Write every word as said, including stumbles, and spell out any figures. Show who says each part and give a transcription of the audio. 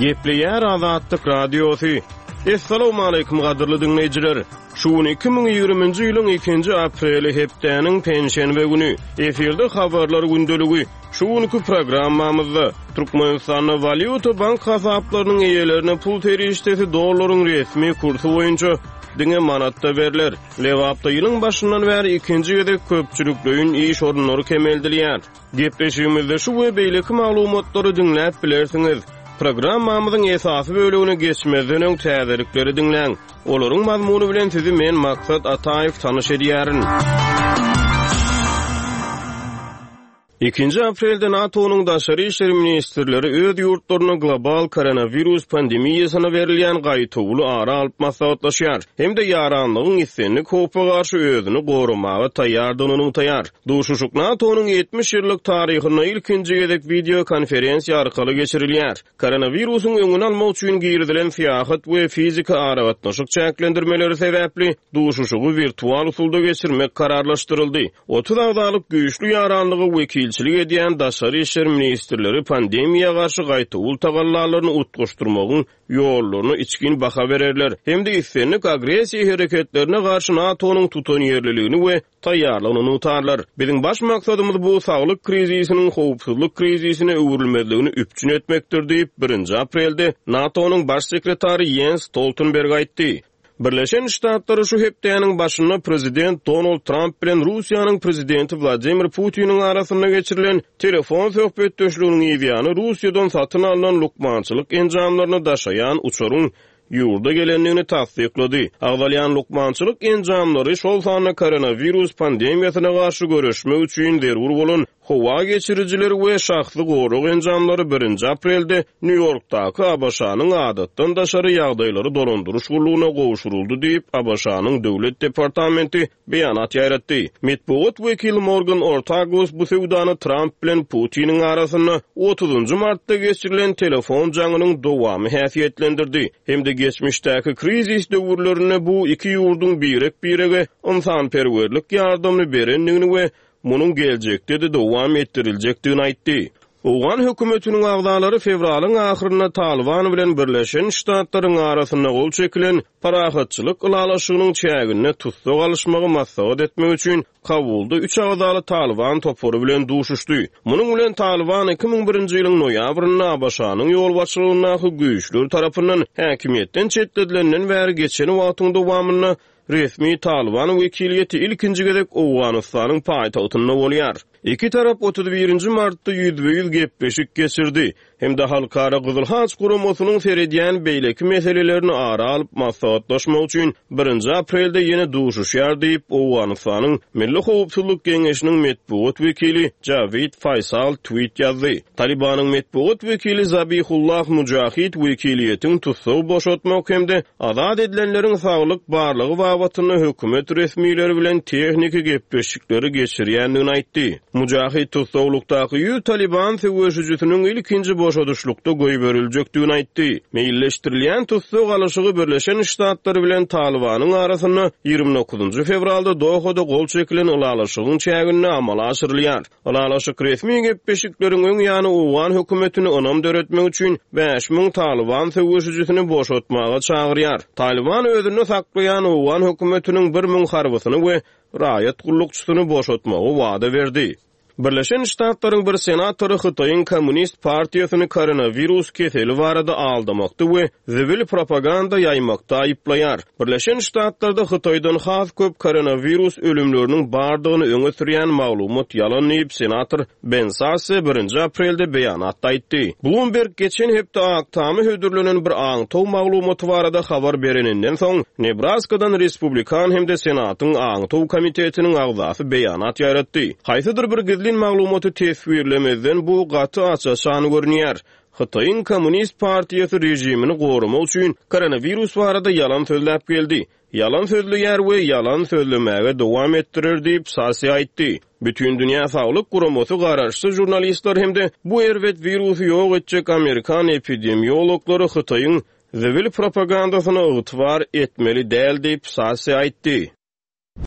Speaker 1: Gepleýär Azatlyk Radiosy. Essalawmaleýkim gadyrly diňleýjiler. Şu gün iki müň ýigriminji ýylyň ikinji apreli hepdäniň penşenbe güni. Efirde habarlar gündeligi. Şu günki programmamyzda Türkmenistanda walýuta bank hasaplarynyň eýelerine pul serişdesi dollaryň resmi kursy boýunça diňe manatda berler. Lebapda ýylyň başyndan bäri ikinji gezek köpçülikleýin iş orunlary kemeldilýär. Gepleşigimizde şu we beýleki maglumatlary diňläp bilersiňiz. Programmamyzyň esasy bölegine geçmezden öň täzelikleri diňläň. Olaryň mazmuny bilen sizi men Maksat Ataýew tanyş edýärin. Ikinji aprelde NATO-nyň daşary işler ministrleri öz ýurtlaryna global koronawirus pandemiýasyna berilýän gaýtawuly ara alyp maslahatlaşýar hem-de ýaranlygyň islendik howpa garşy özüni goramaga taýýardygyny nygtaýar. Duşuşyk NATO-nyň ýetmiş ýyllyk taryhynda ilkinji gezek wideo konferensiýa arkaly geçirilýär. Koronawirusyň öňüni almak üçin girizilen syýahat we fiziki aragatnaşyk çäklendirmeleri sebäpli duşuşygy wirtual usulda geçirmek kararlaşdyryldy. Otuz agzalyk güýçli ýaranlyga wekilçilik edýän daşary işler ministrleri pandemiýa garşy gaýtawul tagallalaryny utgaşdyrmagyň ýollaryna içgin baha bererler hem-de islendik agressiýa hereketlerine garşy NATO-nyň tutanýerliligini we taýýarlygyny nygtarlar. Biziň baş maksadymyz bu saglyk krizisiniň howpsuzlyk krizisine öwrülmezligini üpjün etmekdir diýip, birinji aprelde NATO-nyň baş sekretary Jens Stoltenberg aýtdy. Birleşen Ştatlary şu hepdäniň başynda prezident Donald Trump bilen Russiýanyň prezidenti Wladimir Putiniň arasynda geçirilen telefon söhbetdeşliginiň ýany Russiýadan satyn alnan lukmançylyk enjamlaryny daşaýan uçaryň ýurda gelendigini tassyklady. Agzalýan lukmançylyk enjamlary şol sanda koronawirus pandemiýasyna garşy göreşmek üçin zerur bolan howa geçirijileri we şahsy gorag enjamlary birinji aprelde Nýu-Ýorkdaky A B Ş-nyň adatdan daşary ýagdaýlary dolandyryş gullugyna gowşuryldy diýip, A B Ş-nyň Döwlet departamenti beýanat ýaýratdy. Metbugat wekili Morgan Ortagus bu söwdany Trump bilen Putiniň arasynda otuzynjy martda geçirilen telefon jaňynyň dowamy häsiýetlendirdi. Hem-de geçmişdäki krizis döwürlerinde bu iki ýurduň birek-birege ynsanperwerlik ýardamyny berendigini we munuň geljekde-de dowam etdiriljekdigini aýtdy. Owgan hökümetiniň agzalary fewralyň ahyrynda Taliban bilen Birleşen Ştatlaryň arasynda gol çekilen parahatçylyk ylalaşygynyň çäginde tussag alyşmagy maslahat etmek üçin Kabulda üç agzaly Taliban topary bilen duşuşdy. Munuň bilen Taliban iki müň birinji ýylyň noýabrynda A B Ş-nyň ýolbaşçylygyndaky güýçler tarapyndan häkimiýetden çetledilenden bäri geçen wagtyň dowamynda resmi Taliban wekiliýeti ilkinji gezek Owganystanyň paýtagtynda bolýar. Iki tarap otuz birinji martda ýüzbe-ýüz gepleşik geçirdi. Hem-de Halkara Gyzyl Haç guramasynyň seredýän beýleki meselelerini ara alyp maslahatlaşmak üçin birinji aprelde ýene duşuşýar diýip, Owganystanyň Milli Howpsuzlyk Geňeşiniň metbugat wekili Javid Faysal tweet ýazdy. Talibanyň metbugat wekili Zabihullah Mujahid wekiliýetiň tussag boşatmak hem-de azat edilenleriň saglyk barlygy babatynda hökümet resmileri bilen tehniki gepleşikleri geçirýändigini aýtdy. Mujahid tussaglykdaky ýüz Taliban söweşijisiniň ilkinji boşadyşlykda goýberiljekdigini aýtdy. Meýilleşdirilýän tussag alyşygy Birleşen Ştatlary bilen Talibanyň arasynda ýigrimi dokuzynjy fewralda Dohada gol çekilen ylalaşygyň çäginde amala aşyrylýar. Ylalaşyk resmi gepleşikleriň öň ýany Owgan hökümetini ynam döretmek üçin bäş müň Taliban söweşijisini boşatmaga çagyrýar. Taliban özünde saklaýan Owgan hökümetiniň bir müň harbysyny we raýat gullukçysyny boşatmagy wada berdi. Birleşen Ştatlaryň bir senatory Hytaýyň Komünist Partiýasyny koronawirus keseli barada aldamakda we zibil propaganda ýaýmakda aýyplaýar. Birleşen Ştatlarda Hytaýdan has köp koronawirus ölümleriniň bardygyny öňe sürýän maglumat ýalan diýip, senator Ben Sasse birinji aprelde beýanatda aýtdy. Bloomberg geçen hepde Ak Tama hödürlenen bir aňtaw maglumaty barada habar bereninden soň, Nebraskadan Respublikan hem-de Senatyň aňtaw komitetiniň agzasy beýanat ýaýratdy. Haýsydyr bir gizlin maglumaty teswirlemezden bu gaty aç-açan görünýär. Hytaýyň Komünist Partiýasy rejimini goramak üçin koronawirus barada ýalan sözläp geldi. Ýalan sözleýär we ýalan sözlemäge dowam etdirer diýip Sasse aýtdy. Bütün Dünýä Saglyk Guramasy garaşsyz jurnalistler hem-de bu erbet wirusy ýok etjek Amerikan epidemiologlary Hytaýyň zibil propagandasyna ygtybar etmeli däl diýip Sasse aýtdy.